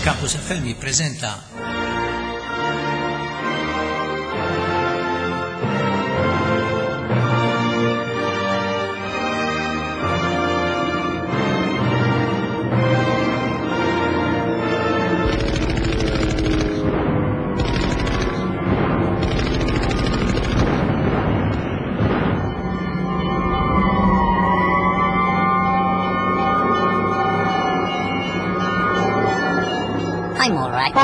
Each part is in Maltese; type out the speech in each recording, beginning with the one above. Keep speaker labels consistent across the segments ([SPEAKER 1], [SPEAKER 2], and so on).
[SPEAKER 1] Campus FM jippreżenta
[SPEAKER 2] I'm all right.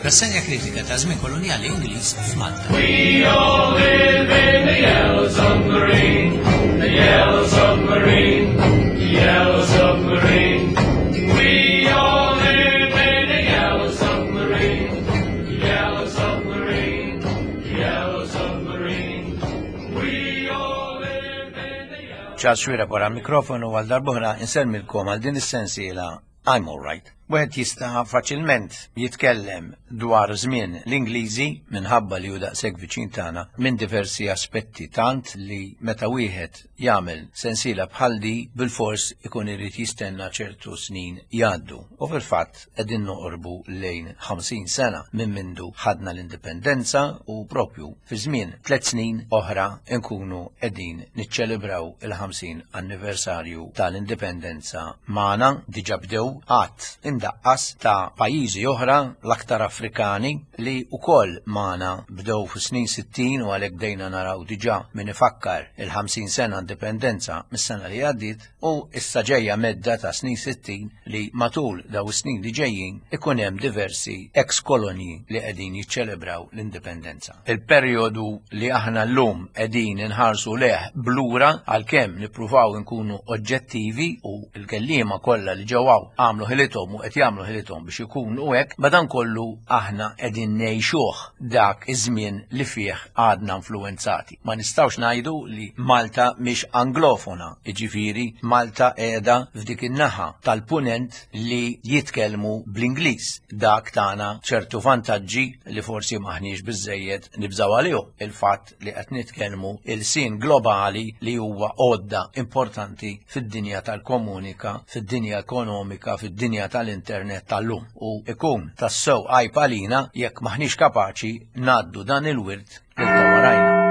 [SPEAKER 1] Rassenja kritika ta' żmien kolonjali Ingliż f'Malta.
[SPEAKER 3] We all live in the yellow submarine, the yellow submarine, the yellow submarine. We all live in the yellow submarine, the yellow submarine, the yellow submarine. We all live in the yellow
[SPEAKER 1] Charles Xuereb wara l-mikrofonu għal darb'oħra insellmilkom għal din is-sensiela I'm All Right. Wieħed jista' faċilment jitkellem dwar żmien l-Ingliżi minħabba li hu daqshekk viċin tagħna minn diversi aspetti tant li meta wieħed jagħmel sensiela bħal di bilfors ikun irid jistenna ċertu snin jgħaddu. U fil-fatt qegħdin noqorbu lejn 50 sena minn mindu ħadna l-indipendenza u propju fi żmien tliet snin oħra nkunu qegħdin niċċelebraw il-50 anniversarju tal-indipendenza magħna diġà bdew għadd imdaqqas ta' pajjiżi oħra l-aktar Afrikani li wkoll magħna bdew fis-snin 60 u għalhekk bdejna naraw diġà min ifakkar il-50 sena indipendenza mis-sena li għaddiet u issa ġejja medda ta' snin 60 li matul daw is-snin li ġejjin ikun hemm diversi ex-kolonji li qegħdin jiċċelebraw l-indipendenza. Il-perjodu li aħna llum qegħdin inħarsu leh blura għalkemm nippruvaw inkunu oġġettivi u l-kelliema kollha li ġew hawn għamlu ħilithom u qed jagħmlu ħilithom biex ikunu hekk, madankollu aħna qegħdin ngħixuh dak iż-żmien li fih għadna influwenzati. Ma nistgħux ngħidu li Malta mhix anglofona, jiġifieri Malta qiegħda f'dik in-naħa tal-punent li jitkellmu bl-Ingliż. Dak tana ċertu vantaġġi li forsi m'aħniex biżżejjed nibżgħu għalihom. Il-fatt li qed nitkellmu ilsien globali li huwa għodda importanti fid-dinja tal-komunika, fid-dinja ekonomika, fid-dinja tal-internet tal-lum. U ikun tassew għajb għalina jekk m'aħniex kapaċi ngħaddu dan il-wirt lil ta' warajna.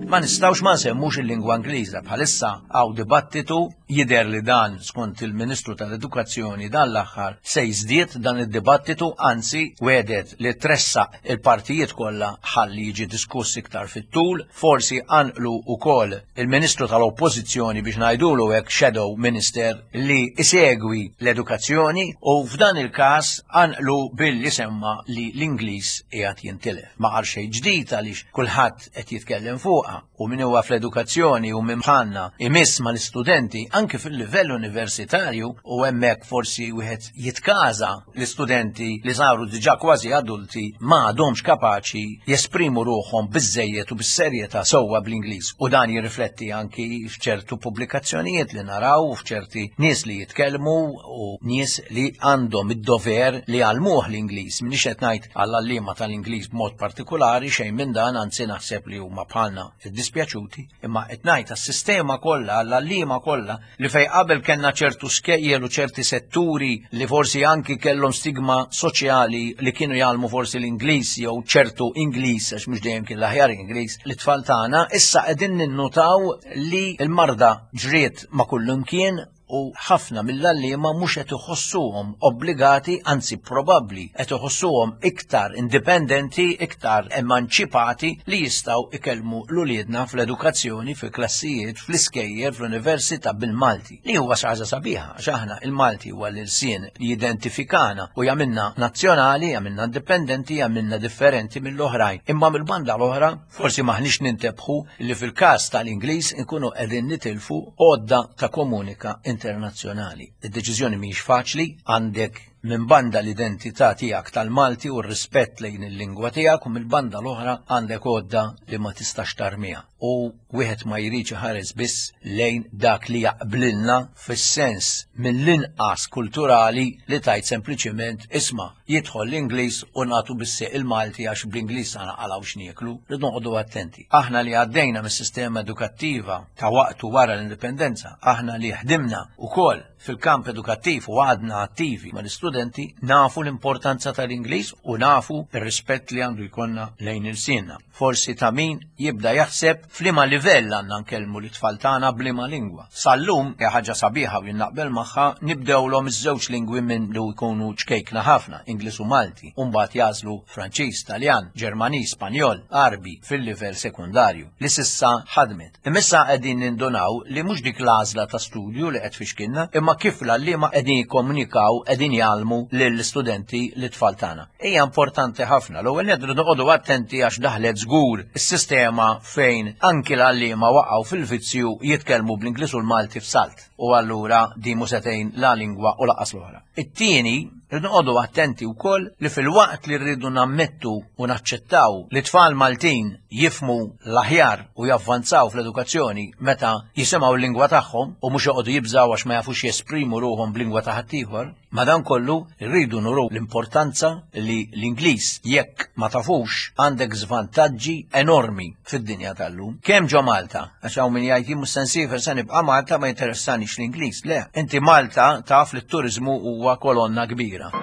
[SPEAKER 1] Ma nistgħux ma nsemmux il-lingwa Ingliża bħalissa hawn dibattitu jidher li dan skont il-Ministru tal-Edukazzjoni dan l-aħħar se jiżdied dan id-dibattitu anzi wedet li tressaq il-partijiet kollha ħalli jiġi diskuss iktar fit-tul, forsi anqlu wkoll il-Ministru tal-Oppożizzjoni biex ngħidulu hekk Shadow Minister li isegwi l-edukazzjoni u f'dan il-każ anqlu billi semma li l-Ingliż qiegħed jintilef. Ma qal xejn ġdid għaliex kulħadd qed jitkellem fuqha u min huwa fl-edukazzjoni u min bħalna imiss mal-istudenti anke fil-livell universitarju u hemmhekk forsi wieħed jitkaża l-istudenti li saru diġà kważi adulti ma għadhomx kapaċi jesprimu ruħhom biżżejjed u bis-serjetà sewwa bl-Ingliż u dan jirrifletti anki f'ċertu pubblikazzjonijiet li naraw u f'ċerti nies li jitkellmu u nies li għandhom id-dover li jgħallmuh l-Ingliż. M'iniex qed ngħid għall-għalliema tal-Ingliż b'mod partikulari xejn minn dan, anzi naħseb li huma bħalna iddispjaċuti, imma qed ngħid għas-sistema kollha, għall-għalliema kollha, li fejn qabel kellna ċertu skejjel u ċerti setturi li forsi anki kellhom stigma soċjali li kienu jgħallmu forsi l-Ingliż jew ċertu Ingliż għax mhux dejjem kien l-aħjar Ingliż lit-tfal tagħna, issa qegħdin ninnutaw li l-marda ġriet ma' kullimkien u ħafna mill-għalliema mhux qed iħossuhom obbligati, anzi probabbli qed iħossuhom iktar indipendenti, iktar emanċipati li jistgħu ikellmu l-uliedna fl-edukazzjoni, fil-klassijiet, fl-iskejjel, fl-università bil-Malti. Li huwa xi ħaġa sabiħa, għax aħna il-Malti huwa l-ilsien li jidentifikana u jagħmilna nazzjonali, jagħmilna indipendenti, jagħmilna differenti mill-oħrajn. Imma mill-banda l-oħra, forsi m'aħniex nintebħu li fil-każ tal-Ingliż inkunu qegħdin nitilfu għodda ta' komunika internazzjonali. Id-deċiżjoni mhijiex faċli, għandek. Minn banda l-identità tiegħek tal-Malti u r-rispett lejn il-lingwa tiegħek u mill-banda l-oħra għandek għodda li ma tistax tarmiha. U wieħed ma jridx iħares biss lejn dak li jaqblilna fis-sens mill-inqas kulturali li tajt sempliċiment isma' jidħol l-Ingliż u nagħtu bis-sieq il-Malti għax bl-Ingliż sa naqalgħu x'nieklu. Rridu noqogħdu attenti. Aħna li għaddejna mis-sistema edukattiva ta' waqtu wara l-indipendenza, aħna li ħdimna ukoll fil-kamp edukattiv u għadna attivi mal-istudenti, nafu l-importanza tal-Ingliż u nafu r-rispett li għandu jkollna lejn ilsienna. Forsi ta' min jibda jaħseb f'liema livell għandna nkellmu l-tfal tagħna b'liema lingwa. Sal-lum, hija ħaġa sabiħa u jien naqbel magħha, nibdewlhom iż-żewġ lingwi minn li jkunu ċkejkna ħafna, Ingliż u Malti, u mbagħad jagħżlu Franċiż, Taljan, Ġermaniż, Spanjol, Għarbi fil-livell sekundarju, li s'issa ħadmet. Imma issa qegħdin nindunaw li mhux dik l-għażla ta' studju li qed tfixkilna, imma kif l-għalliema qegħdin jikkomunikaw, qegħdin jgħallmu lill-istudenti, lit-tfal tagħna. Hija importanti ħafna. L-ewwel nett rridu noqogħdu attenti għax daħlet żgur is-sistema fejn anki l-għalliema waqgħu fil-vizzju jitkellmu bl-Ingliż u l-Malti f'salt. U allura din mhu se tgħin la lingwa u lanqas l-oħra. It-tieni, rridu noqogħdu attenti wkoll li filwaqt li rridu nammettu u naċċettaw li tfal Maltin jifhmu l-aħjar u javvanzaw fl-edukazzjoni meta jisimgħu l-lingwa tagħhom u mhux joqogħdu jibżgħu għax ma jafux jesprimu ruħhom b'lingwa ta' ħaddieħor, madankollu rridu nuru l-importanza li l-Ingliż jekk ma tafux għandek żvantaġġi enormi fid-dinja tal-lum. Kemm ġo Malta, għax hawn min jgħid jien mhux se nsiefer se nibqa' Malta ma jinteressanix l-Ingliż. Le, inti Malta taf li t-turiżmu huwa kolonna kbira.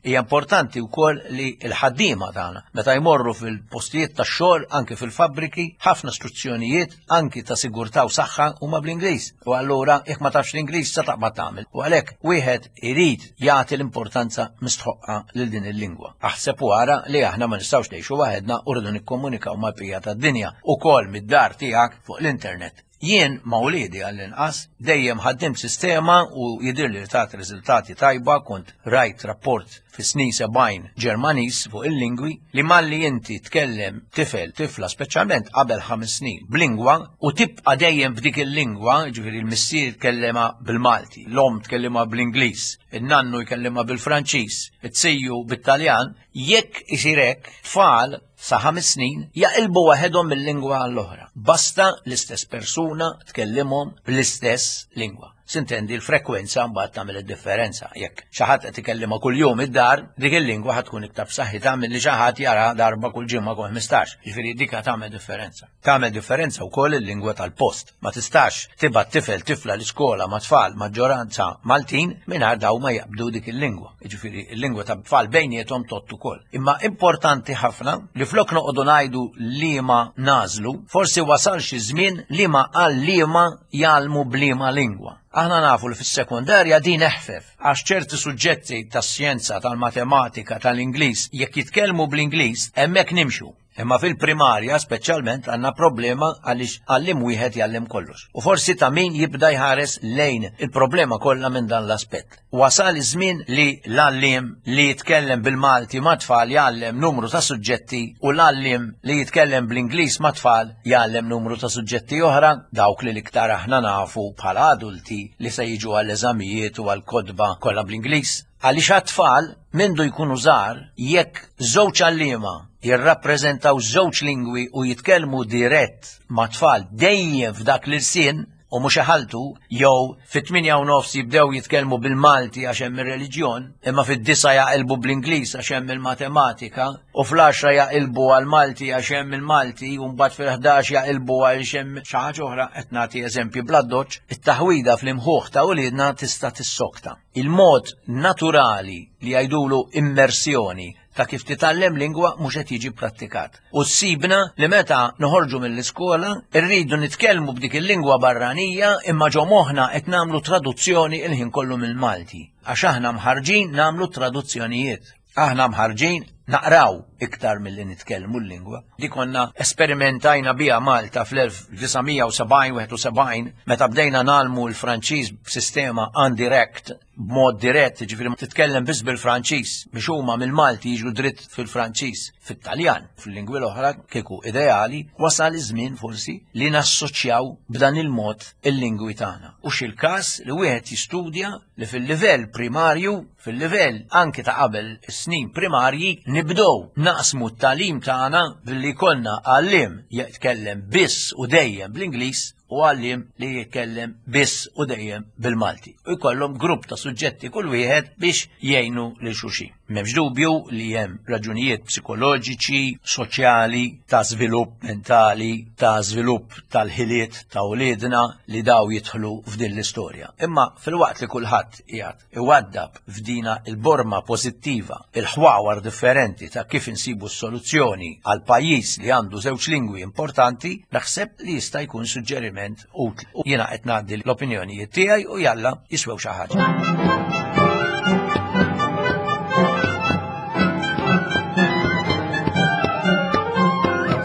[SPEAKER 1] Hija importanti wkoll li l-ħaddiema tagħna meta jmorru fil-postijiet tax-xogħol anke fil-fabbriki ħafna struzzjonijiet anki ta' sigurtà u saħħa huma bl-Ingliż. U allura jekk ma tafx l-Ingliż sa taqbad tagħmel. U għalhekk wieħed irid jagħti l-importanza mistħoqqa lil din il-lingwa. Aħseb u ara li aħna ma nistgħux ngħixu waħedna u rridu nikkomunikaw mal-bqija tad-dinja ukoll mid-dar tiegħek fuq l-internet. Jien ma' wliedi għall-inqas dejjem ħaddimt sistema u jidhirli li tat riżultati tajba kont rajt rapport fis-snin 70 Ġermaniż fuq il-lingwi li malli inti tkellem tifel, tifla speċjalment qabel 5 snin b'lingwa u tibqa' dejjem b'dik il-lingwa, ġifieri l-missier tkellimha bil-Malti, l-omm tkellimha bl-Ingliż, in-nannu jkellimha bil-Franċiż, it-siju bit-Taljan, jekk isir hekk, tfal sa 5 snin jaqilbu waħedhom mill-lingwa għall-oħra. Basta l-istess persuna tkellimhom bl-istess lingwa. Sintendi l-frekwenza mbagħad tagħmel id-differenza. Jekk xi ħadd qed ikellimha kuljum id-dar, dik il-lingwa ħad tkun iktar b'saħħitha milli xi ħadd jara darba kull ġimgħa kull 15. Ġifieri dik tagħmel differenza. Tagħmel differenza wkoll il-lingwa tal-post. Ma tistax tibgħat tifel tifla l-iskola ma' tfal maġġoranza Maltin mingħajr daw ma jaqbdu dik il-lingwa. Jiġifieri l-lingwa ta' tfal bejniethom tgħodd ukoll. Imma importanti ħafna li flok noqogħdu ngħidu liema nagħżlu, forsi wasal xi żmien liema għalliema jgħallmu b'liema lingwa. Aħna nafu li fis-sekondarja din eħfef, għax ċerti suġġetti tas-xjenza, tal-matematika, tal-Ingliż, jekk jitkellmu bl-Ingliż, hemmhekk nimxu. Imma fil-primarja speċjalment għandna problema għaliex għalliem wieħed jgħallem kollox. U forsi ta' min jibda jħares lejn il-problema kollha minn dan l-aspett. Wasal iż-żmien li l-għalliem li jitkellem bil-Malti ma' tfal jgħallem numru ta' suġġetti u l-għalliem li jitkellem bl-Ingliż ma' tfal jgħallem numru ta' suġġetti oħra, dawk li l-iktar aħna nafu bħala adulti li se jiġu għall-eżamijiet u għall-kotba kollha bl-Ingliż. Għaliex għat-tfal, mindu jkunu żgħar, jekk żewġ għalliema jirrappreżentaw żewġ lingwi u jitkellmu dirett mat-tfal dejjem f'dak l-ilsien u mhux iħalltu, jew fit-tmienja u nofs jibdew jitkellmu bil-Malti għax hemm ir-reliġjon, imma fid-disgħa jaqilbu bl-Ingliż għax hemm il-matematika, u fl-għaxra jaqilbu għall-Malti għax hemm il-Malti, u mbagħad fil-ħdax jaqilbu għaliex hemm xi ħaġa oħra, qed nagħti eżempji bl-addoċċ, it-taħwida fl-imħuħ ta' uliedna tista' tissokta. Il-mod naturali li jgħidulu immersjoni ta' kif titgħallem lingwa mhux qed jiġi pprattikat. U ssibna li meta noħorġu mill-iskola rridu nitkellmu b'dik il-lingwa barranija imma ġo moħħna qed nagħmlu traduzzjoni il-ħin kollu mill-Malti. Għax aħna mħarrġin nagħmlu traduzzjonijiet. Aħna mħarrġin naqraw iktar milli nitkellmu l-lingwa. Di konna esperimentajna biha Malta fl-1970-71 meta bdejna nagħlmu l-Franċiż b'sistema en direct. b'mod dirett, ġifieri titkellem biss bil-Franċiż biex huma mill-Malti jiġu dritt fil-Franċiż, fit-Taljan, fil-lingwi l-oħra kieku ideali, wasal iż-żmien forsi li nassoċjaw b'dan il-mod il-lingwi tagħna. U x'il-każ li wieħed jistudja li fil-livell primarju, fil-livell anki ta' qabel is-snin primarji, nibdew naqsmu t-tagħlim tagħna billi jkollna għalliem jitkellem biss u dejjem bl-Ingliż u għalliem li jitkellem biss u dejjem bil-Malti. U jkollhom grupp ta' suġġetti kull wieħed biex jgħinu lil xulxin. M'hemmx dubju li hemm raġunijiet psikoloġiċi, soċjali, ta' żvilupp mentali, ta' żvilupp tal-ħiliet ta' uliedna li daw jidħlu f'din l-istorja. Imma filwaqt li kulħadd qiegħed iwaddab f'dina il-borma pożittiva il-ħwawar differenti ta' kif insibu s-soluzzjoni għal pajjiż li għandu żewġ lingwi importanti, naħseb li jista' jkun suġġeriment utli. U jiena qed ngħaddi l-opinjonijiet tiegħi u jalla jiswew xi ħaġa.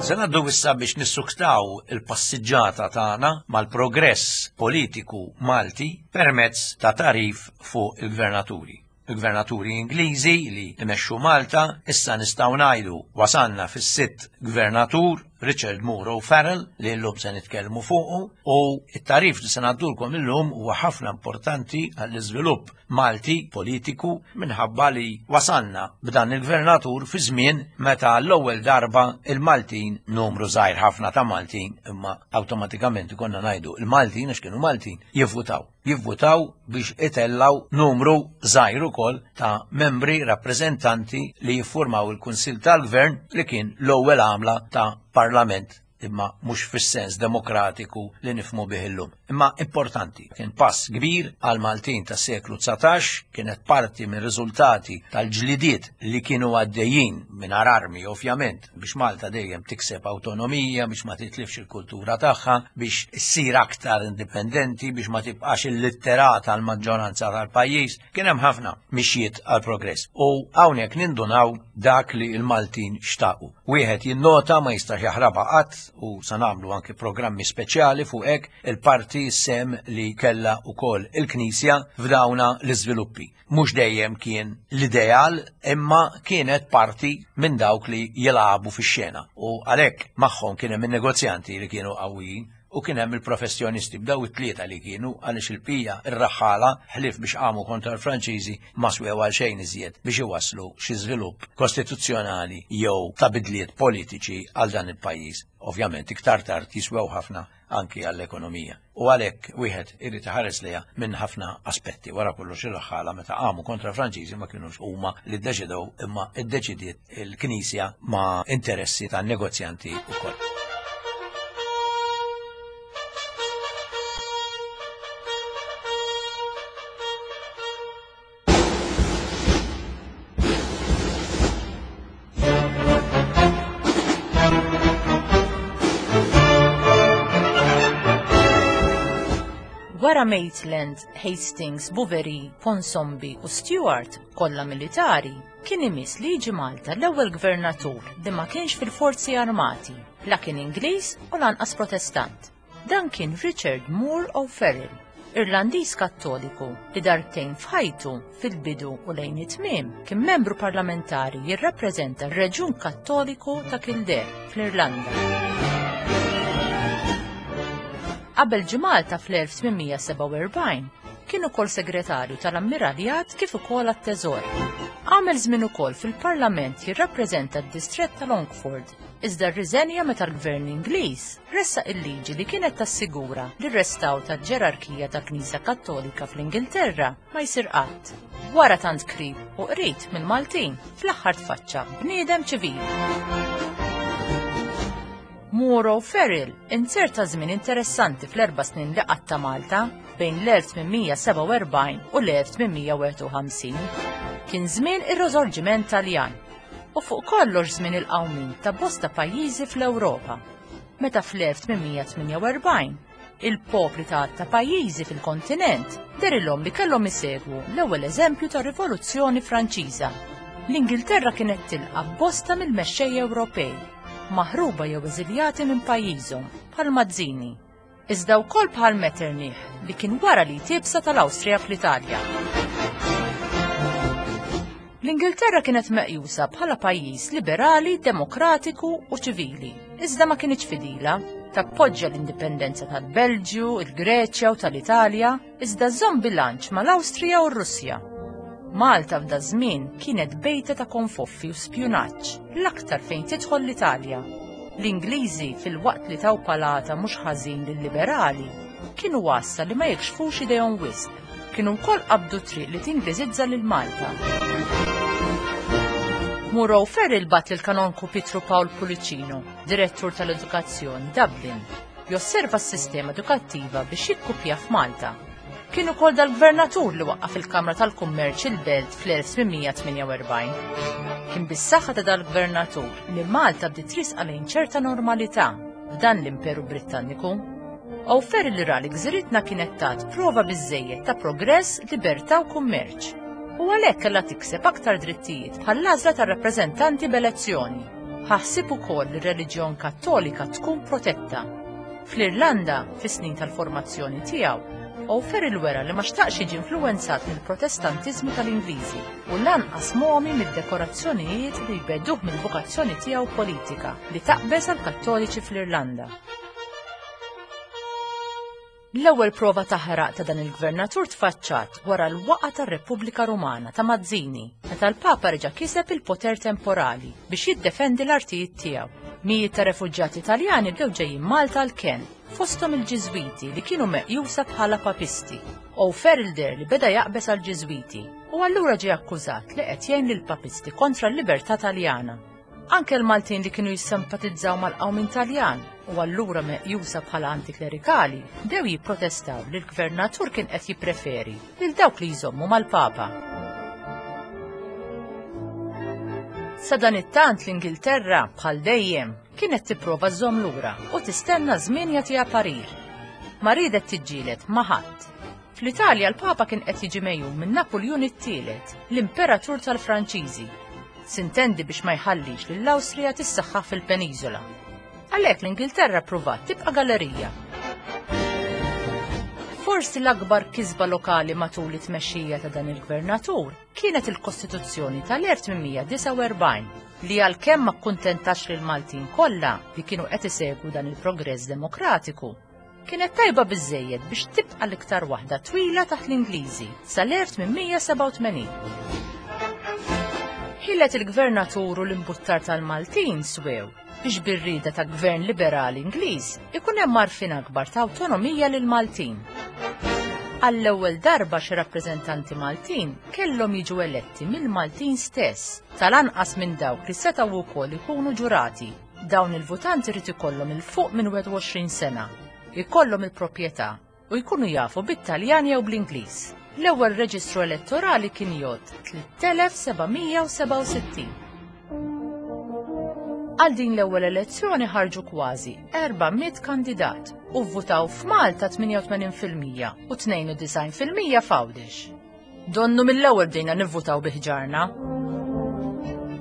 [SPEAKER 1] Se ngħaddu issa biex nissuktaw il-passiġġata tagħna mal-progress politiku Malti permezz ta' tagħrif fuq il-gvernaturi. Il-gvernaturi Ingliżi li imexxu Malta issa nistgħu ngħidu wasalna fis-sitt gvernatur Richard Moore O'Farrell li llum se nitkellmu fuqu u t-tagħrif li se ngħaddulkom illum huwa ħafna importanti għall-iżvilupp Malti politiku minħabba li wasalna b'dan il-gvernatur fi żmien meta l-ewwel darba il-Maltin numru żgħir ħafna ta' Maltin imma awtomatikament ikonna ngħidu il-Maltin għax kienu Maltin jivvutaw. Jivvutaw biex itellaw numru żgħir ukoll ta' membri rappreżentanti li jiffurmaw il-Kunsill tal-Gvern li kien l-ewwel għamla ta' parlament imma mhux fis-sens demokratiku li nifhmu bih illum. Imma importanti, kien pass kbir għal Maltin tas-seklu 19, kienet parti minn riżultati tal-ġlidiet li kienu għaddejjin mingħajr armi ovvjament biex Malta dejjem tikseb awtonomija, biex ma titlifx il-kultura tagħha, biex issir aktar indipendenti, biex ma tibqax illitterata l-maġġoranza tal-pajjiż. Kien hemm ħafna mixjiet għal progress u hawnhekk nindunaw dak li l-Maltin xtaqu. Wieħed jinnota ma jistax jaħrabha qatt u sa nagħmlu anki programmi speċjali fuq hekk il-parti sem li kellha wkoll il-Knisja f'dawna l-iżviluppi. Mhux dejjem kien l-ideal imma kienet parti minn dawk li jilagħbu fix-xena u għalhekk magħhom kien hemm in-negozjanti li kienu qawwijin u kien hemm il-professjonisti b'daw it-tlieta li kienu għaliex il-bqija ir-raħħala ħlief biex qamu kontra l-Franċiżi ma swew għal xejn iżjed biex iwasslu xi żvilupp kostituzzjonali jew ta' bidliet politiċi għal dan il-pajjiż. Ovvjament iktar tard jiswew ħafna anki għall-ekonomija. U għalhekk wieħed irid iħares lejha minn ħafna aspetti. Wara kollox ir-raħħala meta qamu kontra l-Franċiżi ma kinux huma li ddeċidew imma ddeċidiet il-Knisja ma' interessi ta' negozjanti wkoll.
[SPEAKER 4] Wara Maitland, Hastings, Bouverie, Ponsonby u Stewart, kollha militari, Kien imiss li jiġi Malta l-ewwel gvernatur li ma kienx fil-forzi armati, la kien Ingliż u lanqas Protestant. Dan kien Richard Moore O'Farrell, Irlandiż Kattoliku li darbtejn f'ħajtu, fil-bidu u lejn it-tmiem, kien membru parlamentari jirrappreżenta r-reġjun Kattoliku ta' Kildare, fl-Irlanda. Qabel ġie Malta fl-1847, Kien ukoll segretarju tal-Ammiraljat kif ukoll għat-Teżor. Għamel żmien ukoll fil-Parlament jirrappreżenta d-distrett ta' Longford, iżda rriżenja meta l-Gvern Ingliż ressaq il-liġi li kienet tassigura li r-restawr tal-ġerarkija tal-Knisja Kattolika fl-Ingilterra ma jsir qatt. Wara tant krib u qrid mill-Maltin, fl-aħħar tfaċċa bniedem ċivili. Moore O'Farrell inzerta żmien interessanti fl-erba' snin li qatta' Malta bejn l-1847 u l-1851. Kien żmien ir-Risorġiment Taljan u fuq kollox żmien il-qawmien ta' bosta pajjiżi fl-Ewropa. Meta fl-1848 il-popli ta' ta' pajjiżi fil-kontinent derilhom li kellhom isegwu l-ewwel eżempju ta' Rivoluzzjoni Franċiża. L-Ingilterra kienet tilqa' bosta mill-mexxejja Ewropej, maħruba jew eżiljati minn pajjiżhom, bħal Mazzini, iżda wkoll bħal Metternich li kien wara li tibsa tal-Awstrija fl-Italja. L-Ingilterra kienet meqjusa bħala pajjiż liberali, demokratiku u ċivili, iżda ma kinitx fidila. Tappoġġja l-indipendenza tal-Belġju, il-Greċja u tal-Italja, iżda żżomm bilanċ mal-Awstrija u r-Russja. Malta f'da żmien kienet bejta ta' konfoffi u spjunaġġ, l-aktar fejn tidħol l-Italja. L-Ingliżi, filwaqt li taw palata mhux ħażin lil-liberali, kienu għassa li ma jikxfux idejhom wisq. Kienu wkoll qabdu triq li tingliżizza lil Malta. Muro Ferril bat lil kanonku Pietru Pawl Pulicino, direttur tal-edukazzjoni Dublin, josserva s-sistema edukattiva biex jikkupja f'Malta. Kien ukoll dal-gvernatur li waqqaf il-Kamra tal-Kummerċ il-Belt fl-1848. Kien bis-saħħa ta' dal-gvernatur li Malta bdiet trisqa lejn ċerta normalità f'dan l-Imperu Brittanniku. O'Farrell li ra li gżiritna kienet tat prova biżżejjed ta' progress, libertà u kummerċ. U għalhekk kellha tikseb aktar drittijiet bħall-għażla tar-rappreżentanti b'elezzjoni. Ħa ħsieb ukoll li r-reliġjon Kattolika tkun protetta. Fl-Irlanda, fis-snin tal-formazzjoni tiegħu, O'Farrell wera li ma xtaqx jiġi influwenzat mill-Protestantiżmu tal-Ingliżi u lanqas momi mid-dekorazzjonijiet li jbegħduh mill-vokazzjoni tiegħu politika li taqbeż għall-Kattoliċi fl-Irlanda. L-ewwel prova ta' ħraq ta' dan il-gvernatur tfaċċat wara l-waqgħa tar-Repubblika Rumana ta' Mazzini, meta l-Papa reġa' kiseb il-poter temporali biex jiddefendi l-artijiet tiegħu. Mijiet ta' refuġjati Taljani bdew ġejjin Malta għall-kenn, fosthom il-Ġiżwiti li kienu meqjusa bħala Papisti. O'Farrell deher li beda jaqbeż għall-Ġiżwiti u allura ġie akkużat li qed jgħin lill-Papisti kontra l-libertà Taljana. Anke l-Maltin li kienu jissimpatizzaw mal-qawmien Taljan u allura meqjusa bħala antiklerikali bdew jipprotestaw li l-gvernatur kien qed jippreferi lil dawk li jżommu mal-Papa. Sadanittant l-Ingilterra, bħal dejjem, kienet tipprova żżomm lura u tistenna żmien jagħtiha parir. Ma riedet tiġġieled ma' ħadd. Fl-Italja l-Papa kien qed jiġi megħjun minn Napuljun it-Tielet, l-Imperatur tal-Franċiżi. Sintendi biex ma jħallix lill-Awstrija tissaħħaħ fil-peniżola. Għalhekk l-Ingilterra ppruvat tibqa' gallerija. Forsi l-akbar kisba lokali matul it-tmexxija ta' dan il-gvernatur kienet il-Kostituzzjoni tal-1849 li għalkemm ma kkuntentax lill-Maltin kollha li kienu qed isegwu dan il-progress demokratiku, Kienet tajba biżżejjed biex tibqa' l-iktar waħda twila taħt l-Ingliżi sal-1887. Ħilet il-gvernatur u l-imbuttar tal-Maltin swew biex bir-rieda ta' gvern liberali Ingliż ikun hemm għarfien akbar ta' awtonomija lill-Maltin. Għall-ewwel darba xi rappreżentanti Maltin kellhom jiġu eletti mill-Maltin stess, tal-anqas minn dawk li setgħu wkoll ikunu ġurati. Dawn il-votanti jrid ikollhom 'il fuq minn 21 sena, ikollhom il-proprjetà u jkunu jafu bit-Taljan jew bl-Ingliż. L-ewwel reġistru elettorali kien jgħodd 3767. Għal din l-ewwel elezzjoni ħarġu kważi 400 kandidat u vvutaw f'Malta 88% u 92% f'Għawdex. Donnu mill-ewwel bdejna nivvutaw bi ħġarna.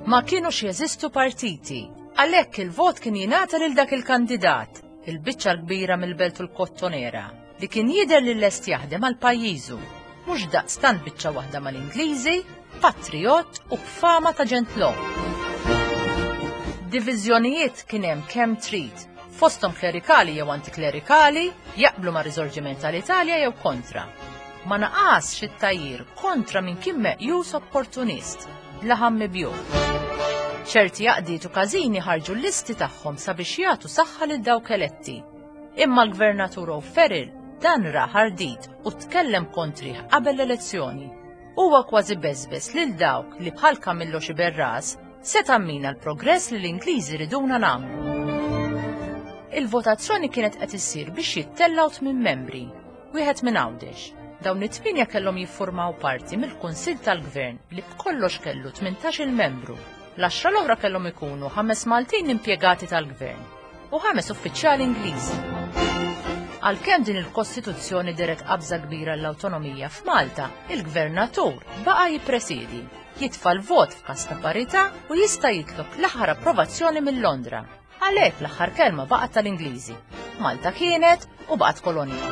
[SPEAKER 4] Ma kienux jeżistu partiti, għalhekk il-vot kien jingħata lil dak il-kandidat, il-biċċa l-kbira mill-belt u l-kottonera, li kien jidher li lest jaħdem għal pajjiżu, mhux daqstant biċċa waħda mal-Ingliżi, patrijott u b'fama ta' ġentlom. Diviżjonijiet kien hemm kemm trid, fosthom klerikali jew antiklerikali, jaqblu mar-riżorġiment tal-Italja jew kontra. Ma naqasx it-tgħajjir kontra min kien meqjus opportunist, laħam mibjugħ. Ċerti għaqdiet u każini ħarġu l-listi tagħhom sabiex jagħtu saħħa lil dawk eletti. Imma l-Gvernatur O'Farrell dan ra ħardit u tkellem kontrih qabel l-elezzjoni. Huwa kważi beżbeż lil dawk li bħal Camillo Sciberras seta' mmina l-progress li l-Ingliżi riduna nagħmlu. Il-votazzjoni kienet qed issir biex jittellgħu tmien membri, wieħed minn Għawdex. Dawn it-tmienja kellhom jiffurmaw parti mill-Kunsill tal-Gvern li b'kollox kellu 18-il membru. L-għaxra l-oħra kellhom ikunu ħames Maltin impjegati tal-Gvern u ħames uffiċjali Ingliżi. Għalkemm din il-Kostituzzjoni dehret qabża kbira l-awtonomija f'Malta, il-Gvernatur baqa' jippresiedi, jitfa' l-vot f'każ ta' parità u jista' jitlob l-aħħar approvazzjoni minn Londra. Għalhekk l-aħħar kelma baqgħet tal-Ingliżi. Malta kienet u baqgħet kolonja.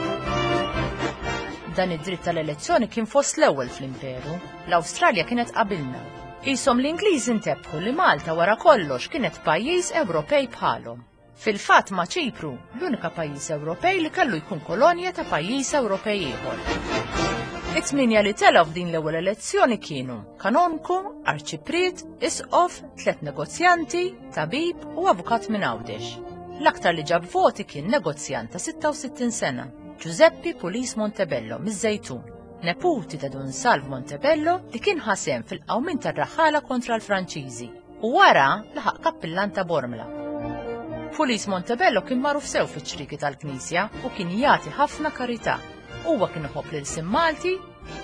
[SPEAKER 4] Dan id-dritt tal-elezzjoni kien fost l-ewwel fl-imperu. L-Awstralja kienet qabilna. Qishom l-Ingliżi ntebħu li Malta wara kollox kienet pajjiż Ewropej bħalhom. Fil-fatt ma' Ċipru, l-unika pajjiż Ewropej li kellu jkun kolonja ta' pajjiż Ewropej ieħor. It-tminja li telgħu f'din l-ewwel elezzjoni kienu kanonku, arċipriet, isqof, tlet negozjanti, tabib u avukat minn Għawdex. L-aktar li ġab voti kien negozjant ta' 66 sena, Giuseppe Pulis Montebello miż-Żejtun, neputi ta' Dun Salv Montebello li kien ħasem fil-qawmien tar-raħħala kontra l-Franċiżi u wara laħaq kappillan ta' Bormla. Pulis Montebello kien magħruf sew fiċ-ċrieki tal-Knisja u kien jagħti ħafna karità. Huwa kien iħobb lil Sim Malti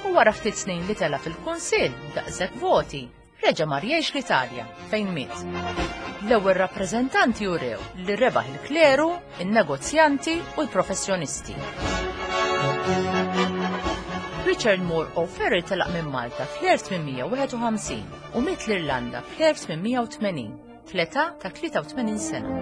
[SPEAKER 4] u wara ftit snin li tela' fil-Kunsill daqshekk voti, reġa' mar jgħix l-Italja fejn miet. L-ewwel rappreżentanti urew li rebaħ il-kleru, in-negozjanti u l-professjonisti. Richard Moore O'Farrell telaq minn Malta fl-1851 u miet l-Irlanda fl-1880 fl-età ta' 83 sena.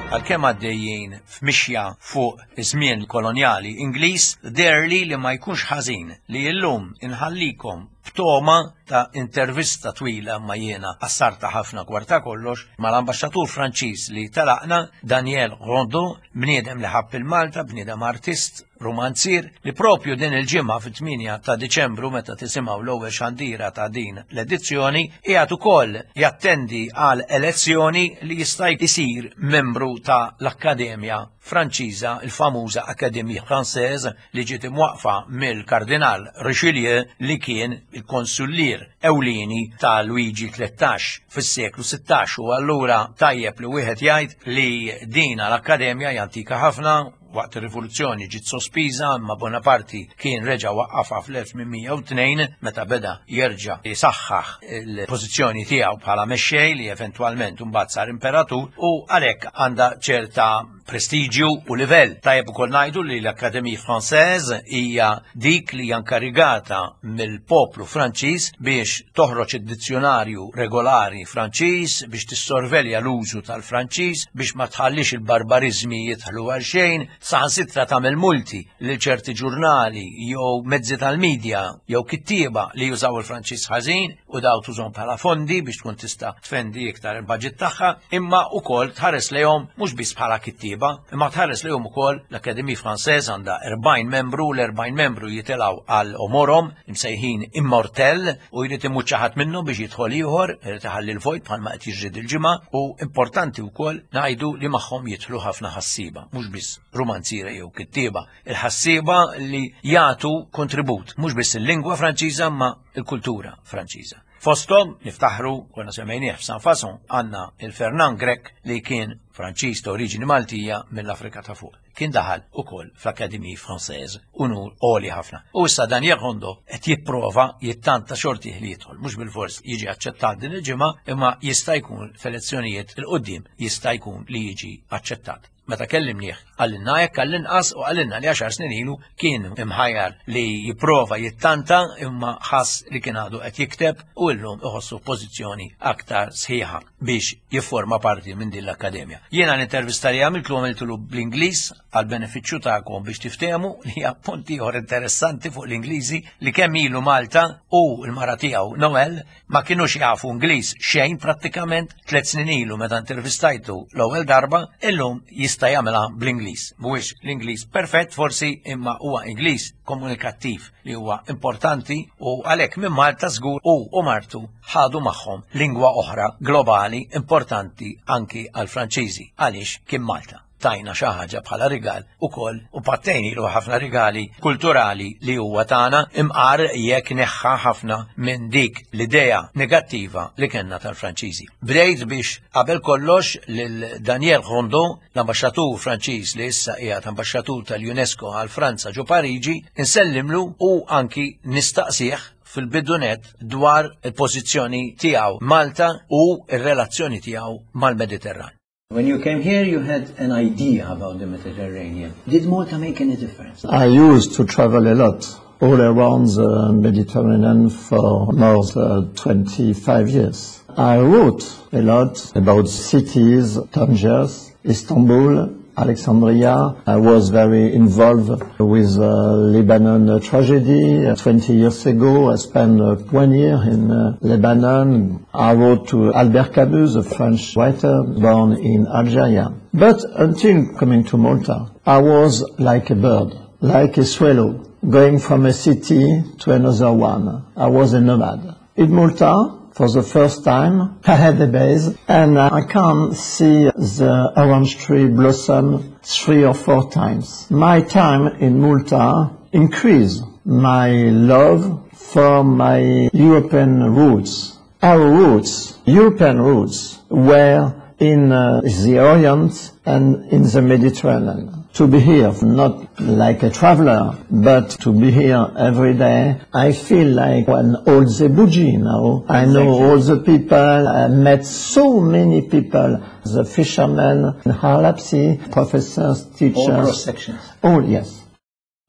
[SPEAKER 1] Għalkemm għaddejjin f'mixja fuq iż-żmien kolonjali Ingliż, deherli li ma jkunx ħażin li llum inħallikom b'togħma ta' intervista twila ma jiena qassarta ħafna kwarta kollox mal-ambaxxatur Franċiż li telaqna Daniel Rondeau, bniedem li ħabb il-Malta, bniedem artist, rumanzier, li propju din il-ġimgħa fit-8 ta' Diċembru meta tisimgħu l-ewwel xandira ta' din l-edizzjoni qiegħed ukoll jattendi għal elezzjoni li jista' jsir membru ta' l-Akkademja Franċiża, il-famuża Académie Française li ġiet imwaqqfa mill-Kardinal Richelieu li kien il-konsullier ewlieni ta' Luigi 13 fis-seklu 16 u allura tajjeb li wieħed jgħid li dina l-Akkademja hija antika ħafna waqt ir-rivoluzzjoni ġiet sospiża imma Bonaparti kien reġa' waqqafha fl-1802 meta beda jerġa' jisaħħaħ il-pożizzjoni tiegħu bħala mexxej li eventwalment imbagħad sar imperatur u għalhekk għandha ċerta prestiġju u livell. Tajjeb ukoll ngħidu li l-Académie Française hija dik li hija nkarigata mill-poplu Franċiż biex toħroġ id-dizzjonarju regolari Franċiż, biex tissorvelja l-użu tal-Franċiż, biex ma tħallix il-barbariżmi jidħlu għal xejn, saħansitra tagħmel multi lil ċerti ġurnali jew mezzi tal-medja jew kittieba li jużaw il-Franċiż ħażin u daw tużhom bħala fondi biex tkun tista' tfendi iktar il-budget tagħha, imma wkoll tħares lejhom mhux biss bħala kittieba, imma tħares lejhom ukoll l-Académie Française għandha 40 membru, l-40 membru jitilgħu għal omorhom imsejħin immortel u jrid imut xi ħadd minnhom biex jidħol ieħor, irid iħalli l-vojt bħalma qed jiġri dil-ġimgħa u importanti wkoll ngħidu li magħhom jidħlu ħafna ħassieba, mhux biss rumanziera jew kittieba, il-ħassieba li jagħtu kontribut mhux biss il-lingwa Franċiża ma il-kultura Franċiża. Fosthom niftaħru konna semmejnieh f'San Fason għandna il-Fernand Grech li kien Franċiż ta' oriġini Maltija mill-Afrika ta' fuq. Kien daħal ukoll fl-Académie Française unur għoli ħafna. U issa Daniel Rondo qed jipprova jittanta xortih li jidħol, mhux bilfors jiġi aċċettat din il-ġimgħa, imma jista' jkun f'elezzjonijiet il quddiem jista' jkun li jiġi aċċettat. Meta kellimnieh, qalilna hekk għall-inqas u qalilna li għaxar snin ilu kien imħajjar li jipprova jittanta imma ħass li kien għadu qed jikteb u llum iħossu f'pożizzjoni aktar sħiħa biex jifforma parti minn din l-akkademja. Jiena l-intervista li għamiltlu għamiltlu bl-Ingliż għal benefiċċju tagħkom biex tiftehmu li hija punt ieħor interessanti fuq l-Ingliżi li kemm ilu Malta u l-mara tiegħu Noel ma kinux jafu Ingliż xejn prattikament tlet snin ilu meta intervistajtu l-ewwel darba, illum jista' jagħmilha bl-Ingliż. Mhuwiex l-Ingliż perfett forsi imma huwa Ingliż komunikattiv li huwa importanti u għalhekk minn Malta żgur hu u martu ħadu magħhom lingwa oħra globali importanti anki għall-Franċiżi għaliex kien Malta. tajna xi ħaġa bħala rigal ukoll u pattejnilu ħafna rigali kulturali li huwa tagħna imqar jekk neħħa ħafna minn dik l-idea negattiva li kellna tal-Franċiżi. Bdejt biex qabel kollox lil Daniel Rondeau, l-ambaxxatur Franċiż li issa qiegħed ambaxxatur tal-UNESCO għal Franza ġo Pariġi, insellimlu u anki nistaqsih. fil-bidu nett dwar il-pożizzjoni tiegħu Malta u r-relazzjoni tiegħu mal-Mediterran. When you came here, you had an idea about the Mediterranean. Did Malta make any difference?
[SPEAKER 5] I used to travel a lot all around the Mediterranean for more than 25 years. I wrote a lot about cities, Tangiers, Istanbul, Alexandria. I was very involved with the Lebanon tragedy. 20 years ago, I spent 1 year in Lebanon. I wrote to Albert Camus, a French writer born in Algeria. But until coming to Malta, I was like a bird, like a swallow, going from a city to another one. I was a nomad. In Malta, for the first time, I had a base, and I can see the orange tree blossom 3 or 4 times. My time in Malta increased my love for my European roots. Our roots, European roots, were in the Orient and in the Mediterranean. To be here, not like a traveler, but to be here every day, I feel like an old Zebuji now. I know all the people, I met so many people, the fishermen in Ħal Lapsi, professors, teachers.
[SPEAKER 1] All cross-sections.
[SPEAKER 5] Oh, yes.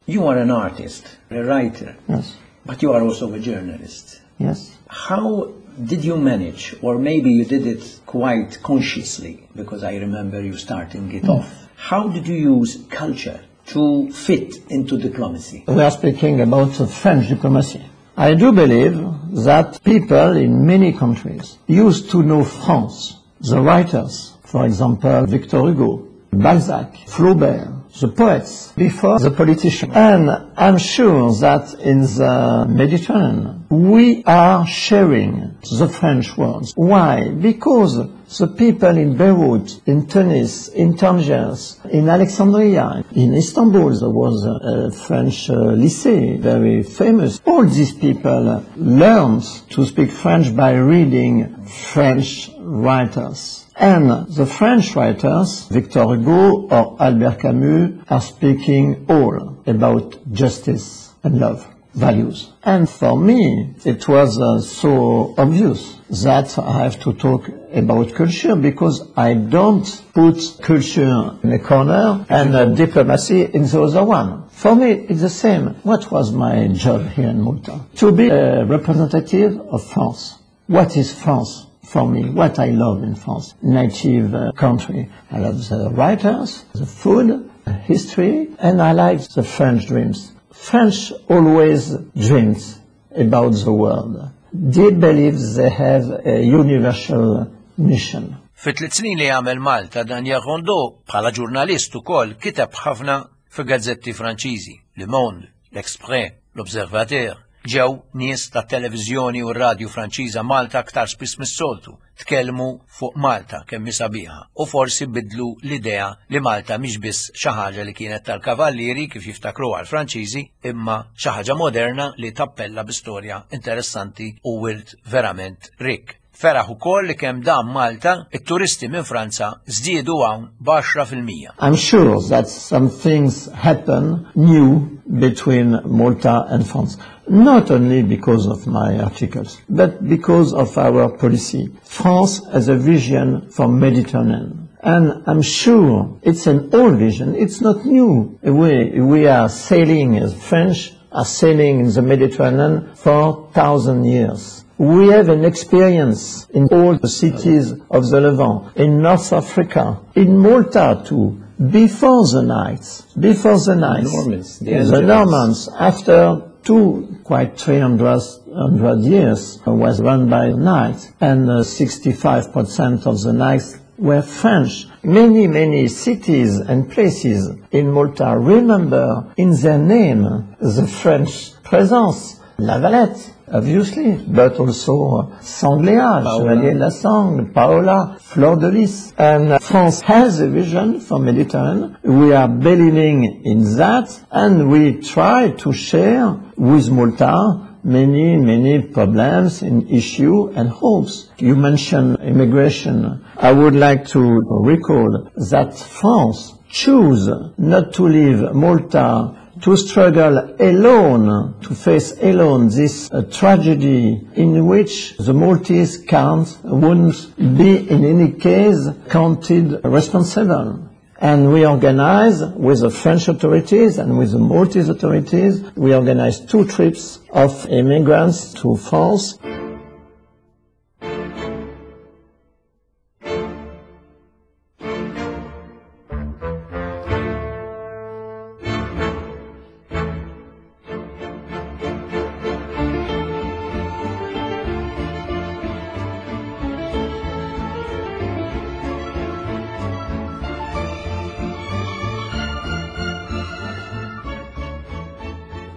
[SPEAKER 1] You are an artist, a writer.
[SPEAKER 5] Yes.
[SPEAKER 1] But you are also a journalist.
[SPEAKER 5] Yes.
[SPEAKER 1] How did you manage, or maybe you did it quite consciously, because I remember you starting it off. How did you use culture to fit into diplomacy?
[SPEAKER 5] We are speaking about French diplomacy. I do believe that people in many countries used to know France. The writers, for example, Victor Hugo, Balzac, Flaubert, the poets, before the politicians. And I'm sure that in the Mediterranean, we are sharing the French words. Why? Because the people in Beirut, in Tunis, in Tangiers, in Alexandria, in Istanbul, there was a French lycée, very famous. All these people learned to speak French by reading French writers. And the French writers, Victor Hugo or Albert Camus, are speaking all about justice and love, values. And for me, it was so obvious that I have to talk about culture, because I don't put culture in a corner and diplomacy in the other one. For me, it's the same. What was my job here in Malta? To be a representative of France. What is France? For me, what I love in France, native country. I love the writers, the food, the history, and I like the French dreams. French always dreams about the world. They believe they have a universal mission.
[SPEAKER 1] Fit-tliet snin li għamel Malta, Daniel Rondeau, bħala ġurnalist ukoll, kiteb ħafna fi gazzetti Franċiżi, Le Monde, L'Express, L'Observateur. Ġew nies ta' televiżjoni u radju Franċiża Malta aktar spiss mis-soltu, tkellmu fuq Malta kemm hi sabiħa u forsi bidlu l-idea li Malta mhix biss xi ħaġa li kienet tal-kavallieri kif jiftakruha l-Franċiżi, imma xi ħaġa moderna li tappella bi storja interessanti u wirt verament rikk. Feraħ ukoll li kemm dam Malta, it-turisti minn Franza żdiedu hawn b'għaxra fil-mija.
[SPEAKER 5] I'm sure that some things happen new between Malta and France. Not only because of my articles, but because of our policy. France has a vision for Mediterranean. And I'm sure it's an old vision, it's not new. We are sailing, as French are sailing in the Mediterranean for 1,000 years. We have an experience in all the cities of the Levant, in North Africa, in Malta too, before the Knights, before the Knights.
[SPEAKER 1] Normans, the
[SPEAKER 5] The
[SPEAKER 1] Angevins.
[SPEAKER 5] Normans, after two, quite 300 years, was run by knights, and 65% of the knights were French. Many, many cities and places in Malta remember in their name the French presence. La Valette, obviously, but also Senglea, Chevalier de la Sangle, Paola, Fleur de Lys. And France has a vision for Mediterranean. We are believing in that, and we try to share with Malta many, many problems and issues and hopes. You mentioned immigration. I would like to recall that France chose not to leave Malta to struggle alone, to face alone this tragedy in which the Maltese can't, wouldn't be in any case counted responsible. And we organized with the French authorities and with the Maltese authorities, we organized 2 trips of immigrants to France.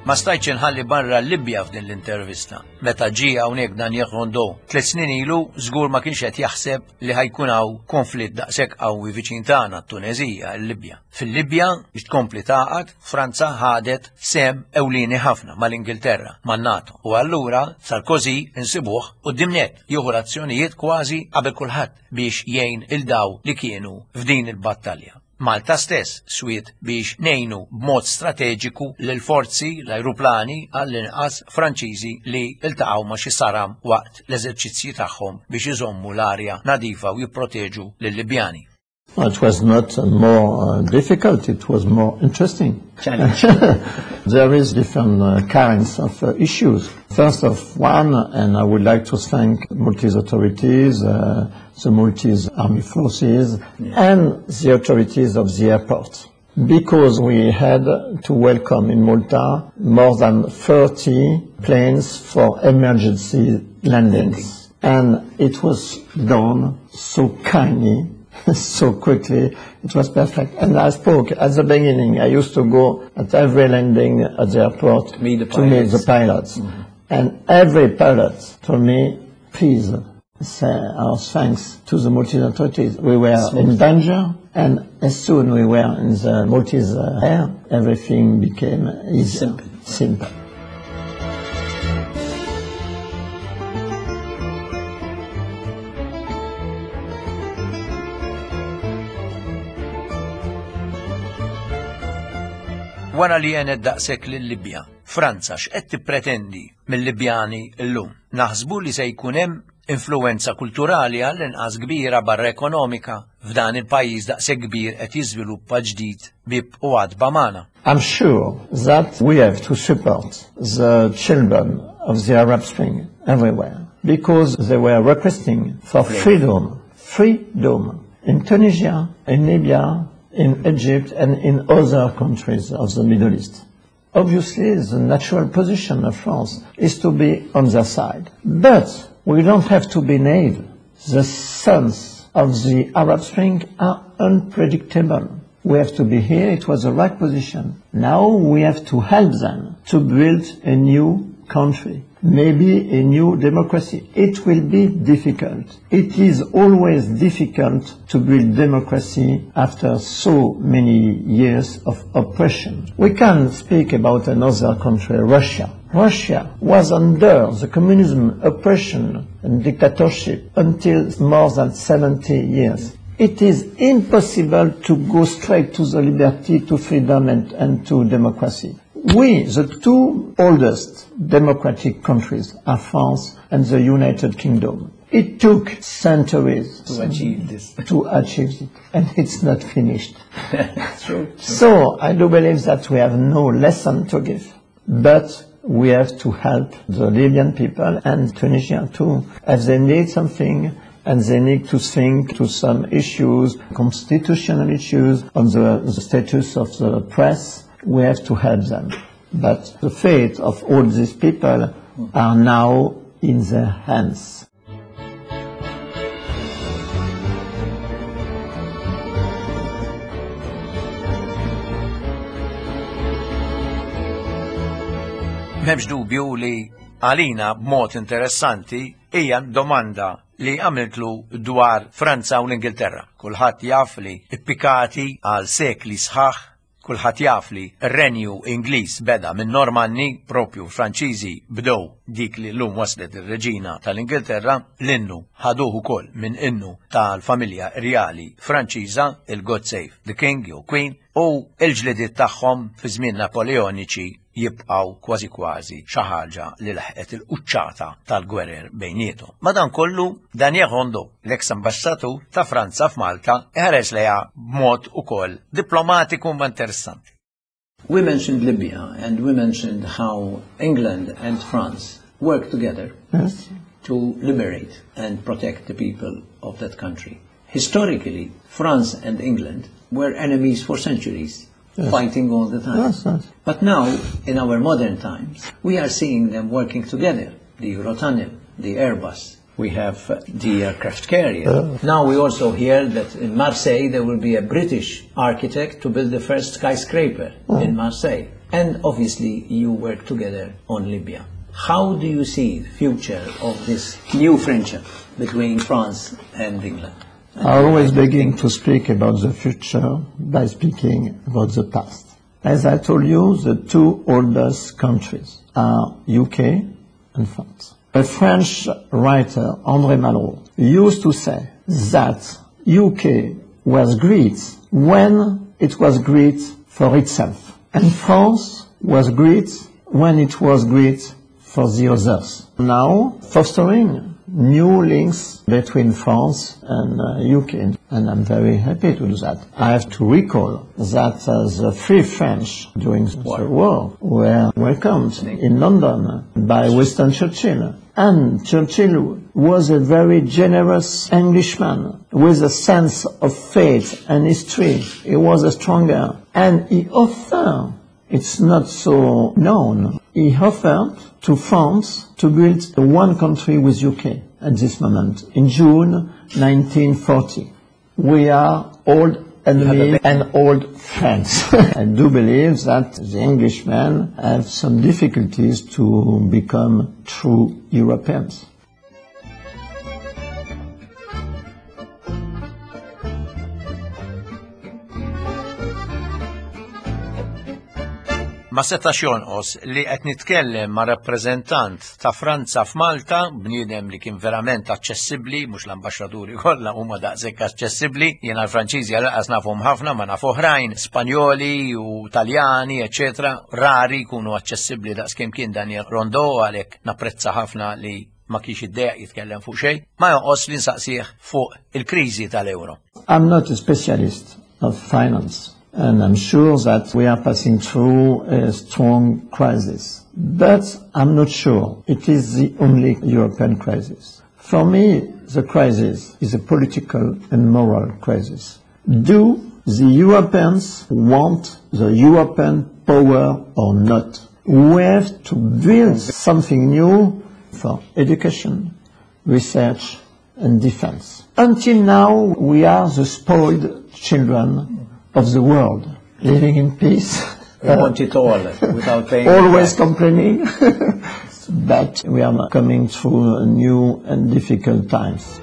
[SPEAKER 1] Ma stajtx inħalli barra l-Libja f'din l-intervista. Meta ġie hawnhekk Daniel Rondeau 3 snin ilu, żgur ma kienx qed jaħseb li ħajkun hawn konflitt daqshekk qawwi viċin tagħna, t-Tuneżija, il-Libja. Fil-Libja, biex tkompli tagħqad, Franza ħadet sehem ewlieni ħafna mal-Ingilterra, man-NATO. U allura Sarkozy insibuh quddiem nett jieħu l-azzjonijiet kważi qabel kulħadd biex jgħin il daw li kienu f'din il-battalja. Malta stess swiet biex ngħinu b'mod strateġiku lill-forzi, l-ajruplani għall-inqas Franċiżi li ltaqgħu ma' xi saram waqt l-eżerċizzji tagħhom biex iżommu l-arja nadifa u jipproteġu lil-Libjani.
[SPEAKER 5] Well, it was not more difficult, it was more interesting.
[SPEAKER 1] Challenge.
[SPEAKER 5] There is different kinds of issues. First of one, and I would like to thank Maltese authorities, the Maltese Army Forces, and the authorities of the airport, because we had to welcome in Malta more than 30 planes for emergency landings. And it was done so kindly, so quickly, it was perfect. And I spoke at the beginning, I used to go at every landing at the airport
[SPEAKER 1] Meet the
[SPEAKER 5] to meet the
[SPEAKER 1] pilots.
[SPEAKER 5] pilots. And every pilot told me, please say our thanks to the Maltese authorities. We were
[SPEAKER 1] Smooth.
[SPEAKER 5] in danger, and as soon we were in the Maltese air, everything became easier.
[SPEAKER 1] Simple.
[SPEAKER 5] Simple.
[SPEAKER 1] Wara li għenet daqshekk lil-Libja, Franza x'qed tippretendi mill-Libjani llum? Naħsbu li se jkun hemm influenza kulturali għall-inqas kbira barra ekonomika f'dan il-pajjiż daqshekk kbir qed jiżviluppa ġdid bib u għadba magħna.
[SPEAKER 5] I'm sure that we have to support the children of the Arab Spring everywhere, because they were requesting for freedom, freedom in Tunisia, in Libya, in Egypt and in other countries of the Middle East. Obviously, the natural position of France is to be on their side. But we don't have to be naive. The sons of the Arab Spring are unpredictable. We have to be here, it was the right position. Now we have to help them to build a new country, maybe a new democracy. It will be difficult. It is always difficult to build democracy after so many years of oppression. We can speak about another country, Russia. Russia was under the communism oppression and dictatorship until more than 70 years. It is impossible to go straight to the liberty, to freedom and to democracy. We, the two oldest democratic countries, are France and the United Kingdom. It took centuries
[SPEAKER 1] to achieve this.
[SPEAKER 5] To achieve it, and it's not finished.
[SPEAKER 1] True.
[SPEAKER 5] So I do believe that we have no lesson to give, but we have to help the Libyan people and Tunisia too, as they need something and they need to think to some issues, constitutional issues, on the status of the press. We have to help them. But the fate of all these people are now in their hands.
[SPEAKER 1] M'hemmx dubju li għalina b'mod interessanti hija domanda li għamiltlu dwar Franza u l-Ingilterra. Kulħadd jaf li ippikati għal sekli sħaħ Kulħadd jaf li r-Renju Ingliż beda minn Normanni, propju Franċiżi bdew dik li llum waslet ir-Reġina tal-Ingilterra, l-innu ħaduh ukoll minn innu tal-familja rjali Franċiża, il-God Save the King jew Queen, u l-ġlidiet tagħhom fi żmien Napoleoniċi jibqgħu kważi kważi xi ħaġa li laħqet il-quċċata tal-gwerer bejniethom. Madankollu, Daniel Rondeau, l-eks ambaxxatur ta' Franza f'Malta, iħares lejha b'mod ukoll diplomatiku ma interessanti.
[SPEAKER 6] We mentioned Libya and we mentioned how England and France work together
[SPEAKER 5] yes.
[SPEAKER 6] to liberate and protect the people of that country. Historically, France and England were enemies for centuries,
[SPEAKER 5] yes.
[SPEAKER 6] fighting all the time.
[SPEAKER 5] Yes, yes.
[SPEAKER 6] But now, in our modern times, we are seeing them working together. The Eurotunnel, the Airbus, we have the aircraft carrier. Now we also hear that in Marseille there will be a British architect to build the first skyscraper in Marseille. And obviously you work together on Libya. How do you see the future of this new friendship between France and England?
[SPEAKER 5] I always begin to speak about the future by speaking about the past. As I told you, the two oldest countries are UK and France. A French writer, André Malraux, used to say that UK was great when it was great for itself, and France was great when it was great for the others. Now, fostering new links between France and UK, and I'm very happy to do that. I have to recall that the Free French during the war were welcomed in London by Winston Churchill. And Churchill was a very generous Englishman with a sense of faith and history. He was a stronger. And he offered, it's not so known, he offered to France to build one country with UK at this moment, in June 1940. We are old enemies and old friends. I do believe that the Englishmen have some difficulties to become true Europeans.
[SPEAKER 1] Ma setax jonqos li qed nitkellem ma' rappreżentant ta' Franza f'Malta, bniedem li kien verament aċċessibbli, mhux l-ambaxxaturi kollha huma daqshekk aċċessibbli, jiena l-Franċiżi għal nafhom ħafna ma naf oħrajn, Spanjoli u Taljani, eċetera, rari jkunu aċċessibbli daqskemm kien Daniel Rondeau għalhekk napprezza ħafna li ma kienx iddejjaq jitkellem fuq xejn, ma jonqos li nsaqsih fuq il-kriżi tal-euro.
[SPEAKER 5] I'm not a specialist of finance, and I'm sure that we are passing through a strong crisis. But I'm not sure it is the only European crisis. For me, the crisis is a political and moral crisis. Do the Europeans want the European power or not? We have to build something new for education, research, and defense. Until now, we are the spoiled children of the world, living in peace.
[SPEAKER 6] We want it all without paying.
[SPEAKER 5] Always complaining, but we are coming through new and difficult times.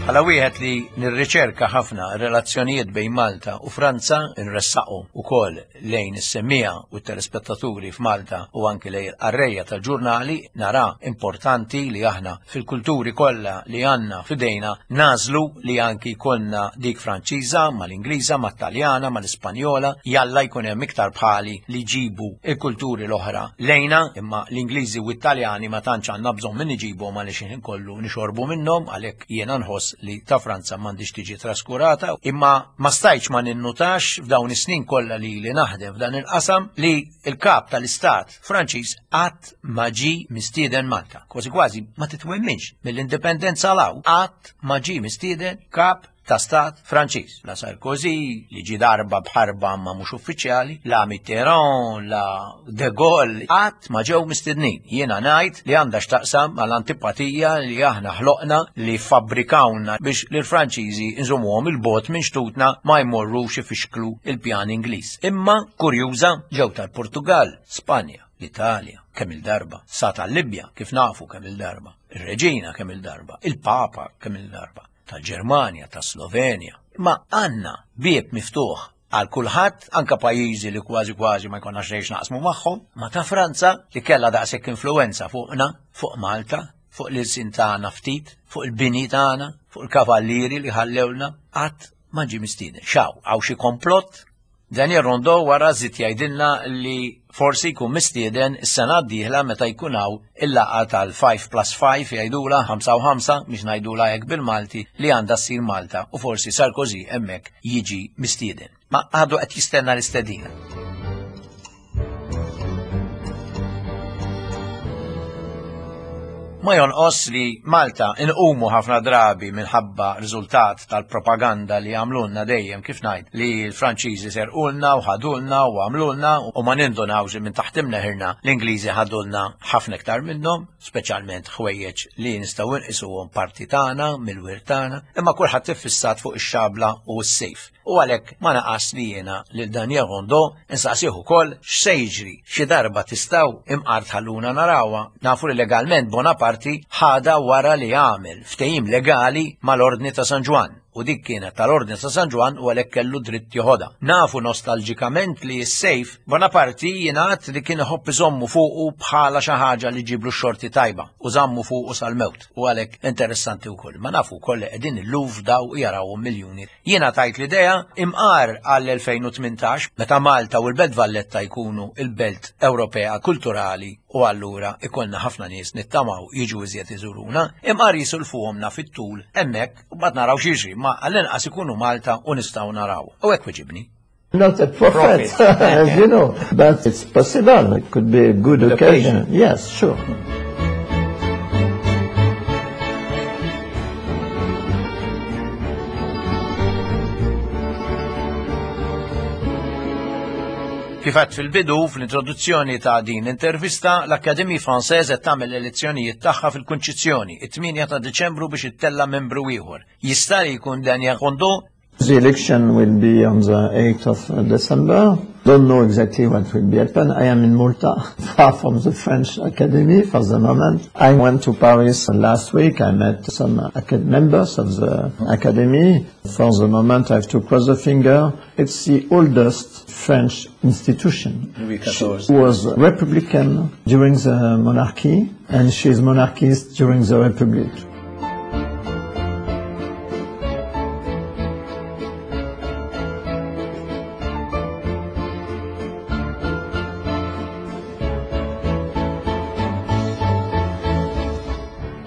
[SPEAKER 1] Bħala wieħed li nirriċerka ħafna relazzjonijiet bejn Malta u Franza nressaqu ukoll lejn is-semmiegħa u t-telespettaturi f'Malta u anki lejn il-qarrejja tal-ġurnali nara importanti li aħna fil-kulturi kollha li għandna f'idejna nagħżlu li anki jkollna dik Franċiża mal-Ingliża, mat-Taljana, mal-Ispanjola, jalla jkun hemm iktar bħali li jġibu l-kulturi l-oħra lejna, imma l-Ingliżi u t-Taljani ma tantx għandna bżonn min iġibhom għaliex il-ħin kollu nixorbu minnhom għalhekk jiena nħoss li ta' Franza m'għandhiex tiġi traskurata, imma ma stajtx ma ninnutax f'dawn is-snin kollha li ili naħdem f'dan il-qasam li l-kap tal-istat Franċiż qatt ma ġie mistieden Malta. Kważi kważi ma titwemminx mill-indipendenza 'l hawn qatt ma ġie mistieden kap ta' stat Franċiż. La Sarkozy, li ġie darba b'ħarba ma mhux uffiċjali, la Mitterrand, la De Gaulle, qatt ma ġew mistednin. Jiena ngħid li għandha x'taqsam mal-antipatija li aħna ħloqna li fabbrikawna biex lill-Franċiżi nżommuhom il-bogħod minn xtutna ma jmorrux ifixklu il-pjan Ingliż. Imma kurjuża ġew tal-Portugall, Spanja, l-Italja, kemm-il darba, sa tal-Libja kif nafu kemm-il darba. Ir-Reġina kemm il-darba, il-Papa kemm il-darba, tal-Ġermanja, tas-Slovenja. Ma għandna bieb miftuħ għal kulħadd, anka pajjiżi li kważi kważi ma jkollna xejn naqsmu magħhom, ma ta' Franza li kellha daqshekk influenza fuqna, fuq Malta, fuq l-ilsien tagħna ftit, fuq il-bini tagħna, fuq il-kavallieri li ħallewlna, qatt ma ġie mistieden. Xaw, hawn xi komplott? Daniel Rondeau wara żied jgħidilna li forsi jkun mistieden is-sena d-dieħla meta jkun hawn il-laqgħa tal-5 plus 5 jgħidula 5 u 5 biex ngħidula hekk bil-Malti li għandha ssir Malta u forsi Sarkozy hemmhekk jiġi mistieden. Ma għadu qed jistenna l-istedina. Ma jonqos li Malta inqumu ħafna drabi minħabba riżultat tal-propaganda li għamlulna dejjem kif ngħid li l-Franċiżi serqulna u ħadulna u għamlulna u ma nindunawx li minn taħt imneħirna l-Ingliżi ħadulna ħafna iktar minnhom, speċjalment ħwejjeġ li nistgħu nqisuhom parti tagħna mill-wirt tagħna, imma kulħadd iffissat fuq ix-xabla u s-sejf. U għalhekk ma naqas li jiena lil Daniel Rondeau insaqsih ukoll x'se jiġri xi darba tistgħu imqar tħalluna narawha. Nafu li legalment Bonaparti ħadha wara li għamel ftehim legali mal-Ordni ta' San Ġwann u dik kienet tal-Ordni ta' San Ġwann u għalhekk kellu dritt joħodha. Nafu nostalġikament li s-sejf Bonaparti jingħad li kien iħobb iżommu fuqu bħala xi ħaġa li ġiblu x-xorti tajba u żammu fuqu sal-mewt u għalhekk interessanti wkoll. Ma nafu wkoll li qegħdin il-Louvre daw jarawhom miljuni. Jiena tajt l-idea imqar għall-2018 meta Malta u l-Belt Valletta jkunu il-Belt Ewropea Kulturali u allura ikollna ħafna nies nittamaw jiġu iżjed iżuruna, imqar jisulfuhomna fit-tul hemmhekk u bad naraw x'jiġri, ma għall-inqas ikunu Malta u nistgħu naraw. U hekk weġibni.
[SPEAKER 5] Not a prophet, as you know, but it's possible. It could be a good occasion. Yes, sure.
[SPEAKER 1] Kif għedt fil-bidu, fl-introduzzjoni ta' din l-intervista, l-Académie Française qed tagħmel l-elezzjonijiet tagħha fil-Kunċizzjoni, it-8 ta' Diċembru biex ittella' membru ieħor. Jista' li jkun Daniel Rondeau?
[SPEAKER 5] The election will be on the 8th of December. Don't know exactly what will be happen. I am in Malta, far from the French Academy for the moment. I went to Paris last week. I met some members of the Academy. For the moment, I have to cross the finger. It's the oldest French institution.
[SPEAKER 6] Louis
[SPEAKER 5] She
[SPEAKER 6] XIV.
[SPEAKER 5] was Republican during the monarchy, and she is monarchist during the Republic.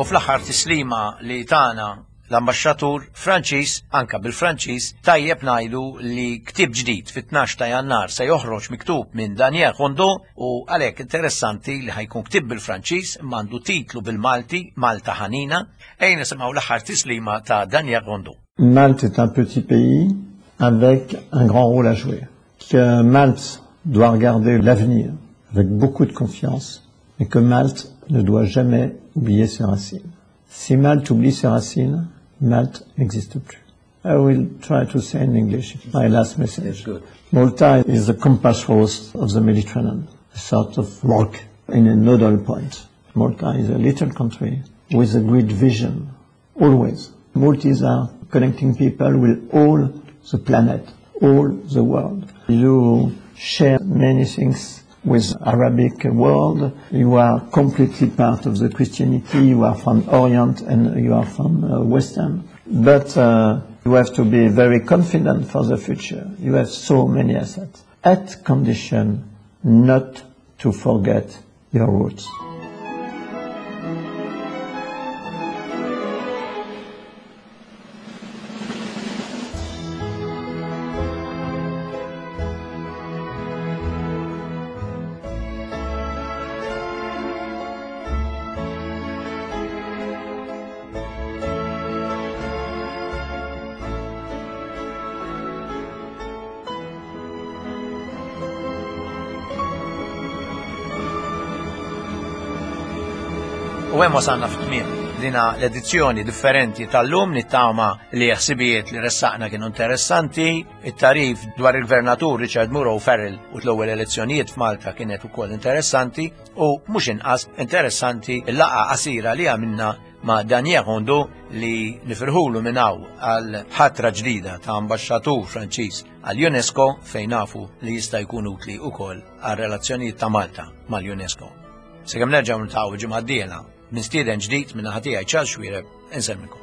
[SPEAKER 1] U fl-aħħar tislima li tana l-ambaxxatur Franċiż, anka bil-Franċiż, tajjeb ngħidu li ktieb ġdid fit-12 ta' Jannar se joħroġ miktub minn Daniel Rondeau u għalhekk interessanti li ħajkun ktieb bil-Franċiż imma għandu titlu bil-Malti, Malta Ħanina. Ejja nisimgħu l-aħħar tislima ta' Daniel Rondeau.
[SPEAKER 5] Malte est un petit pays avec un grand rôle à jouer. Que Malte doit regarder l'avenir avec beaucoup de confiance et que Malte ne doit jamais oublier ses racines. Si Malte oublie ses racines, Malte n'existe plus. I will try to say in English my last message.
[SPEAKER 6] That's good.
[SPEAKER 5] Malta is the compass rose of the Mediterranean, a sort of rock in a nodal point. Malta is a little country with a great vision, always. Maltese are connecting people with all the planet, all the world. You share many things with Arabic world. You are completely part of the Christianity. You are from Orient and you are from Western. But you have to be very confident for the future. You have so many assets. At condition not to forget your roots.
[SPEAKER 1] U hemm wasalna fit-tmiem. Dina l-edizzjoni differenti tal-lum nittama li ħsibijiet li ressaqna kienu interessanti, it-tarif dwar il-gvernatur Richard Muro Farrell u l-ewwel elezzjonijiet f'Malta kienet ukoll interessanti u mhux inqas interessanti l-laqgħa qasira li għamilna ma' Daniel Hondo li nifirħulu minn hawn għal ħatra ġdida ta' ambaxxatur Franċiż għal UNESCO fejn nafu li jista' jkun utli wkoll għal relazzjonijiet ta' Malta mal-UNESCO. Sakemm nerġgħu niltaqgħu ġimgħa d-dieħla, mistieden ġdid minn naħa tiegħi Charles Xuereb, insellmilkom.